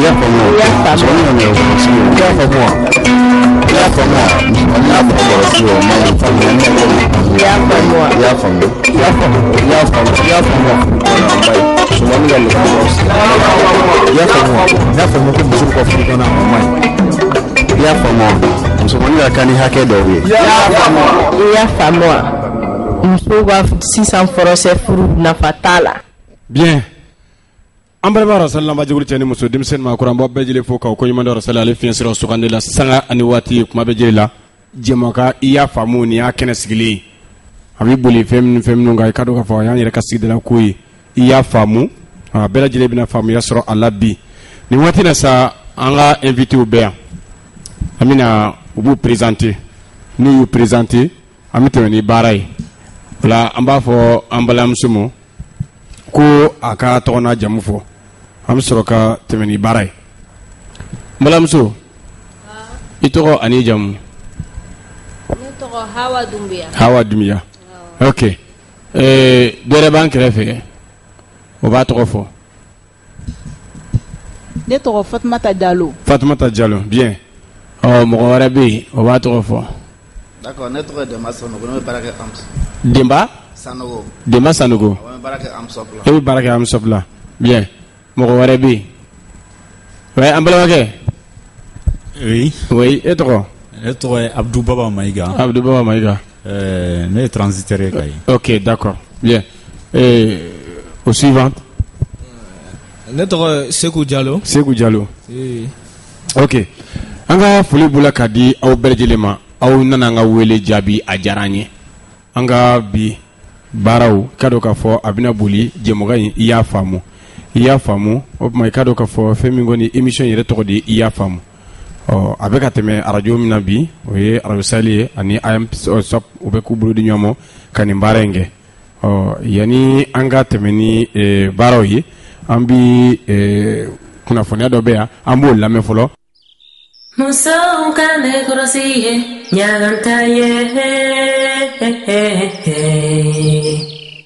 I y'a faamu wa? Musomanin ka nɛgɛkɔrɔsigi o. I y'a faamu wa? I y'a faamu wa? Musomanin ka nɛgɛkɔrɔsigi o ma ɲi. I y'a faamu wa? I y'a faamu. I y'a faamu. I y'a faamu. I y'a faamu wa? Musomanin ka nɛgɛkɔrɔsigi. I y'a faamu wa? I y'a faamu ko musow ka furu joona o ma ɲi. I y'a faamu wa? Musomanin ka kan ni hakɛ dɔw ye. I y'a faamu wa? Musow ka sisan fɔrɔsɛ furu nafa t'a la. Bien. An balima Rasali lamɛnjɛkulu cɛ ni muso, denmisɛnnin, maakɔrɔ, an b'aw bɛɛ lajɛlen fo k'aw koɲuman dɔn Rasali ale fiɲɛ sira sugandi la sanga ani waati kuma bɛɛ lajɛlen la. Jɛmukan i y'a faamu nin y'a kɛnɛ sigilen ye. A bɛ boli fɛn minnu fɛn minnu kan, i ka dɔn k'a fɔ a y'an yɛrɛ ka sigidala ko ye. I y'a faamu, a bɛɛ lajɛlen bɛna faamuya sɔrɔ a la bi. Nin waati na sa, an ka invités bɛ yan. An bɛna u b'u présenter. N'u y'u présenter, an bɛ tɛmɛ ni baara ye. O la an b'a fɔ an balimamuso ma ko a ka tɔgɔ n'a jamu fɔ, an bɛ sɔrɔ ka tɛmɛ ni baara ye. N balimamuso, i tɔgɔ ani jamu? Ne tɔgɔ Hawa Dunbiya. Hawa Dunbiya, ok. Dɔ wɛrɛ b'an kɛrɛfɛ, o b'a tɔgɔ fɔ. Ne tɔgɔ Fatumata Jalo. Fatumata Jalo, bien. Ɔ, mɔgɔ wɛrɛ bɛ yen, o b'a tɔgɔ fɔ. D'accord, ne tɔgɔ ye Denba Sanogo, ne bɛ baara kɛ AMS. Denba? Sanogo. Denba Sanogo. Awɔ, n bɛ baara kɛ AMSOP la. E bɛ baara kɛ AMSOP la. Bien. Mɔgɔ wɛrɛ bɛ yen? Ouais, an balimakɛ. Oui. Oui, e tɔgɔ? Ne tɔgɔ ye Abdou Baba Mayiga. Abdou Baba Mayiga. Ne ye transitaire ye Kayi. Ok, d'accord. Bien. Au suivant. Ne tɔgɔ ye Seku Jalo. Seku Jalo. Oui. Ok. An ka foli b'u ka di aw bɛɛ lajɛlen ma. Aw nana an ka wele jaabi, a diyara an ye. An ka bi baaraw, ka dɔn k'a fɔ a bɛna boli jɛmukan in i y'a faamu. I y'a faamu, o tuma i ka dɔn k'a fɔ fɛn min kɔni émission yɛrɛ tɔgɔ de ye i y'a faamu. Ɔ, a bɛ ka tɛmɛ arajo min na bi, o ye arajo Sahel ye ani AMSOP, u bɛ k'u bolo di ɲɔgɔn ma ka nin baara in kɛ. Ɔ, yanni an ka tɛmɛ ni baaraw ye, an bi kunnafoniya dɔ bɛ yan, an b'o lamɛn fɔlɔ. Musow ka nɛgɛkɔrɔsi ye ɲaganta ye.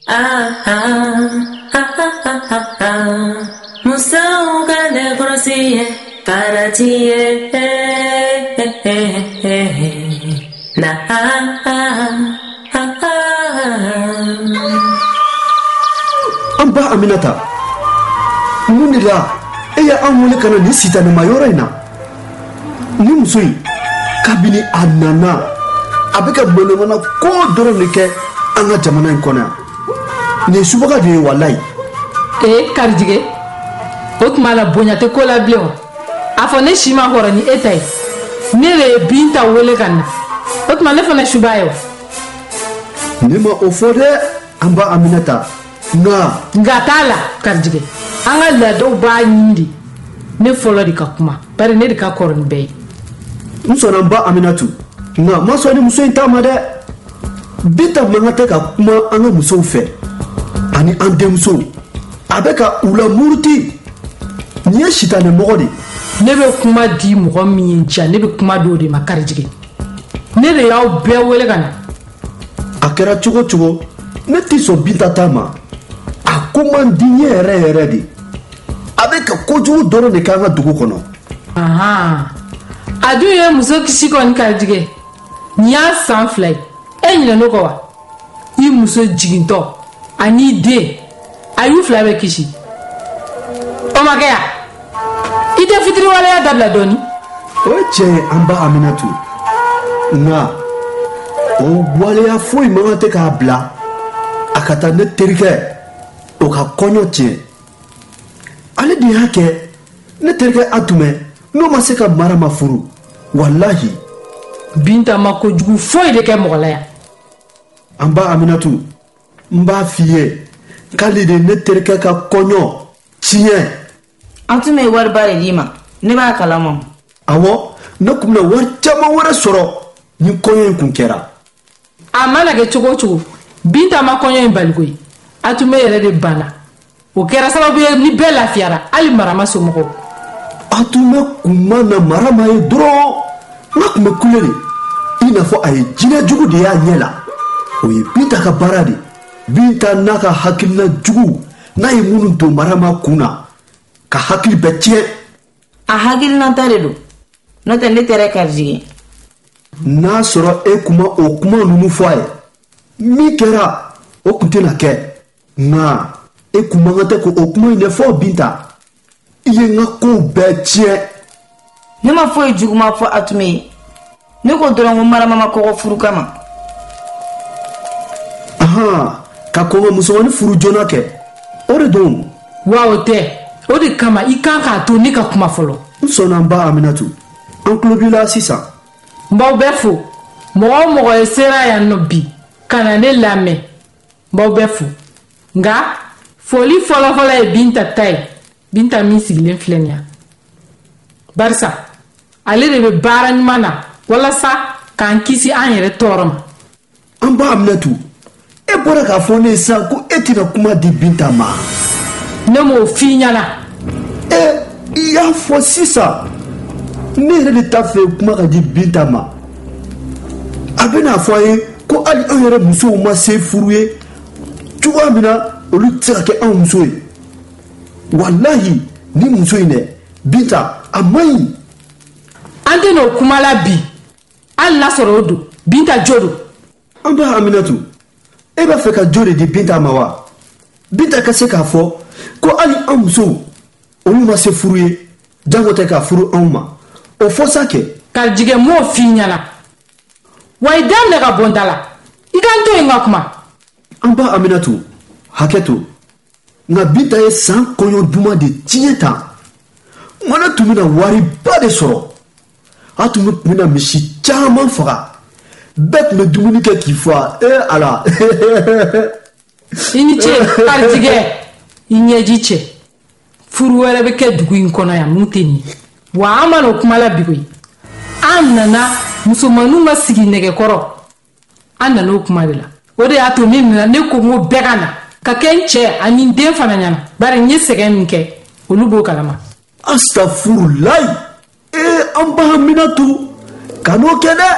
Ah, ah, ah, ah, ah, ah. Musow ka nɛgɛkɔrɔsi ye farati ye. Na, ah, ah, ah, ah. An ba Aminata, mun de la e y'an wele ka na nin sitanɛma yɔrɔ in na? Ni muso in, kabini a nana, a bɛ ka manamana ko dɔrɔn de kɛ an ka jamana in kɔnɔ yan. Nin ye subaga de ye, walayi. Ee Karijigɛ, o tuma la bonya tɛ ko la bilen wa? A fɔ ne si ma kɔrɔ ni e ta ye, ne de ye Binta wele ka na, o tuma ne fana suba ye wa? Ne ma o fɔ dɛ, an ba Aminata, nka. Nka t'a la Karijigɛ, an ka laadaw b'a ɲini de ne fɔlɔ de ka kuma, bari ne de ka kɔrɔ ni bɛɛ ye. N sɔnna, n ba Aminatu, nka n ma sɔn ni muso in ta ma dɛ. Binta man kan tɛ ka kuma an ka musow fɛ ani an denmusow. A bɛ ka u lamuruti. Nin ye sitanɛ mɔgɔ de ye. Ne bɛ kuma di mɔgɔ min ye ja, ne bɛ kuma di o de ma Karijigɛ. Ne de y'aw bɛɛ wele ka na. A kɛra cogo cogo, ne tɛ sɔn Binta ta ma. A ko man di n ye yɛrɛ yɛrɛ de. A bɛ ka kojugu dɔrɔn de kɛ an ka dugu kɔnɔ. Ahan, a dun ye muso kisi kɔni Karijigɛ. Nin y'a san 2 ye, e ɲinɛn'o kɔ wa? I muso jigintɔ ani den, a y'u 2 bɛɛ kisi. O ma kɛ yan? I tɛ fitiriwaleya dabila dɔɔni? O ye tiɲɛ ye, an ba Aminatu, nka o waleya foyi man kan tɛ k'a bila a ka taa ne terikɛ o ka kɔɲɔ tiɲɛ. Ale de y'a kɛ ne terikɛ Atumɛ n'o ma se ka Marama furu, walahi. Binta ma kojugu foyi de kɛ mɔgɔ la yan. An ba Aminatu, n b'a f'i ye k'ale de ne terikɛ ka kɔɲɔ tiɲɛ. An tun bɛ wariba de d'i ma, ne b'a kalama. Awɔ, ne tun bɛna wari caman wɛrɛ sɔrɔ ni kɔɲɔ in kun kɛra. A mana kɛ cogo o cogo, Binta ma kɔɲɔ in bali koyi. Atumɛ yɛrɛ de banna. O kɛra sababu ye ni bɛɛ lafiyara, hali Marama somɔgɔw. Atumɛ kun ma na Marama ye dɔrɔn, n ka tun bɛ kule de, i n'a fɔ a ye jinɛ jugu de y'a ɲɛ la. O ye Binta ka baara de. Binta n'a ka hakilina jugu n'a ye minnu don Marama kun na ka hakili bɛɛ tiɲɛ. A hakilinata de don, n'o tɛ ne tɛ dɛ Karijigɛ. N'a sɔrɔ e kun ma o kuma ninnu fɔ a ye, min kɛra o kun tɛna kɛ. Nka e kun man kan tɛ k'o kuma in de fɔ Binta. I ye n ka kow bɛɛ tiɲɛ. Ne ma foyi juguman fɔ Atume ye. Ne ko dɔrɔn ko Marama ma kɔgɔ furu kama. Ahan, ka kɔn ka musomannin furu joona kɛ, o de don. Wa o tɛ, o de kama i kan k'a to ne ka kuma fɔlɔ. N sɔnna n ba Aminatu, an tulo b'i la sisan. N b'aw bɛɛ fo. Mɔgɔ o mɔgɔ ye sera yan nɔ bi ka na ne lamɛn, n b'aw bɛɛ fo. Nka foli fɔlɔfɔlɔ ye Binta ta ye, Binta min sigilen filɛ nin ye. Barisa ale de bɛ baara ɲuman na walasa k'an kisi an yɛrɛ tɔɔrɔ ma. An ba Aminatu, e bɔra k'a fɔ ne ye sisan ko e tɛna kuma di Binta ma. Ne m'o f'i ɲɛna. E, i y'a fɔ sisan. Ne yɛrɛ de t'a fɛ kuma ka di Binta ma. A bɛna fɔ a ye ko hali an yɛrɛ musow ma se furu ye cogoya min na, olu tɛ se ka kɛ anw muso ye. Walahi, ni muso in dɛ, Binta, a man ɲi. An tɛ n'o kuma la bi, hali n'a sɔrɔ o don, Binta jo don. An ba Aminatu, e b'a fɛ ka jo de di Binta ma wa? Binta ka se k'a fɔ ko hali an musow, olu ma se furu ye, jango tɛ ka furu anw ma. O fɔ sa kɛ. Karijigɛ, m'o f'i ɲɛna. Wa i daminɛ ka bɔ n da la. I ka n to yen ka kuma. An ba Aminatu, hakɛ to. Nka Binta ye san kɔɲɔ duman de tiɲɛ tan. Mana tun bɛna wariba de sɔrɔ. A tun bɛna misi caman faga. Bɛɛ tun bɛ dumuni kɛ k'i fa. Ee Ala. I ni ce Karijigɛ, i ɲɛji cɛ. Furu wɛrɛ bɛ kɛ dugu in kɔnɔ yan mun tɛ nin ye. Wa an ma n'o kuma la bi koyi. An nana musomaninw ka sigi nɛgɛkɔrɔ. An nana o kuma de la. O de y'a to ne nana, ne ko n ko bɛɛ ka na. Ka kɛ n cɛ ani n den fana ɲɛna. Bari n ye sɛgɛn min kɛ, olu b'o kalama. Astafurulayi. Ee, an ba Aminatu, kan'o kɛ dɛ.